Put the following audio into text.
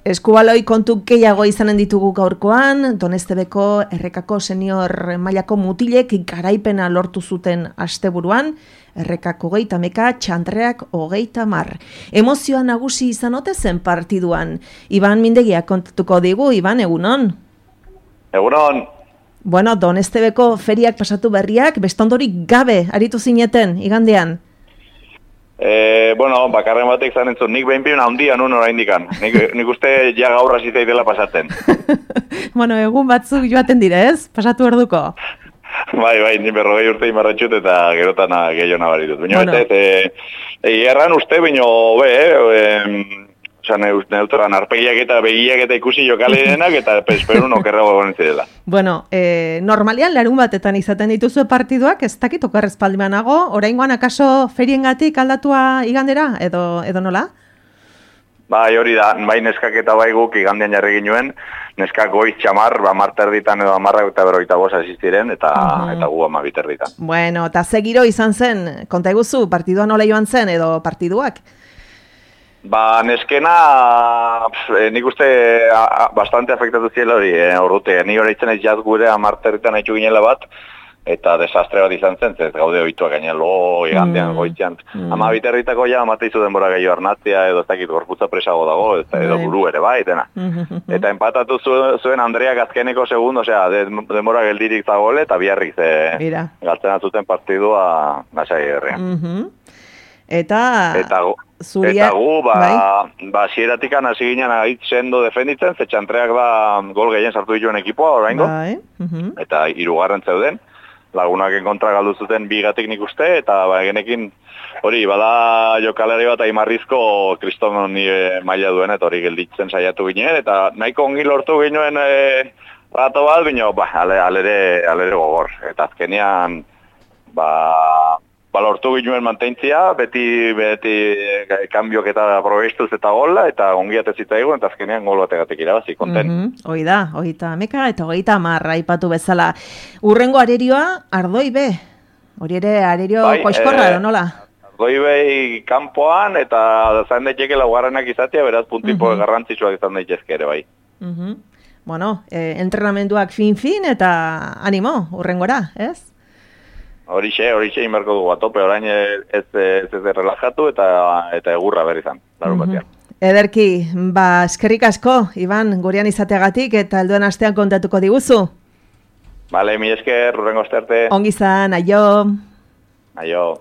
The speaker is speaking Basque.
Eskubaloi kontu gehiago izanen ditugu gaurkoan, Donestebeko Errekako senior mailako mutilek garaipena lortu zuten asteburuan, Errekak 30 Txandreak 30. Emozioa nagusi izan ote zen partiduan. Iban Mindegiak kontatuko digu, Iban, egunon? Egunon. Bueno, Donestebeko feriak pasatu berriak, bestondorik gabe aritu zineten, igandean? Bakarren batek zan entzun, nik behin handia nun oraindikan. Nik uste ja gaur hasi zaitela pasatzen. Bueno, egun batzuk joaten dire, ez? Pasatu orduko. Bai, ni 40 urte imarretxut eta gerotan gehiago nabaritut. Baina erran uste, neutroan arpegiak eta begiak eta ikusi jokalerenak eta esperun okerrago egon zirela. Bueno, normalian larun batetan izaten dituzue partiduak, ez dakit okerrezpaldimanago, oraingoan akaso feriengatik aldatua igandera, edo nola? Bai, hori da, bai neskak eta bai guk igandean jarri ginuen, neskak goiz txamar, 10:30 edo 10:45 asistiren, eta gu 12:30. Bueno, eta ze giro izan zen, konta eguzu, partidua nola joan zen, edo partiduak? Neskena, nik uste bastante afektatu ziela hori, orrute. Ni hori itzen ez jaz gure 10:30 haitxu ginela bat, eta desastre bat izan zen, ez gaude oituak gainera igandean goitzean. 12:30ko ja amateizu denbora gehiago arnatzea, edo ez dakit gorputza presago dago, edo buru ere bai, dena. Eta empatatu zuen Andreak azkeneko segundo, denbora geldirik zagole, eta biarrik galtzen zuten partidua nasai herrian. Eta gu, zieratikan hasi ginen agit sendo defenditzen, ze Txandreak gol gehien sartu dituen ekipoa, oraingo. Eta 3. zeuden, lagunaken kontra galdu zuten 2 nik uste, eta genekin hori, bada jokalari bat Aimarrizko kriston maila duen, eta hori gelditzen saiatu ginen, eta nahiko ongi lortu ginen rato bat, bino, alere gogor. Eta azkenean, lortu ginen mantentzia, beti kanbiok eta probestuz eta gola, eta ongiat ez zitzaigun, eta azkenean gol bategatik irabazi, konten. Hoi da, 30 eta 30 aipatu bezala. Urrengo arerioa, Ardoi B. Hori ere arerio koizkorra, edo nola? Ardoi B kanpoan, eta zain daiteke laugarrenak izatea, beraz puntipo garrantzitsuak izan daitezke ere, bai. Bueno, entrenamenduak fin, eta animo, urrengora, ez? Horixe inberko dugu atope, orain ez relajatu eta egurra berri zan, larun batean. Ederki, eskerrik asko, Iban, gurean izateagatik eta helduen astean kontatuko diguzu. Bale, mi esker, urrengo aste arte. Ongi zan, aio. Aio.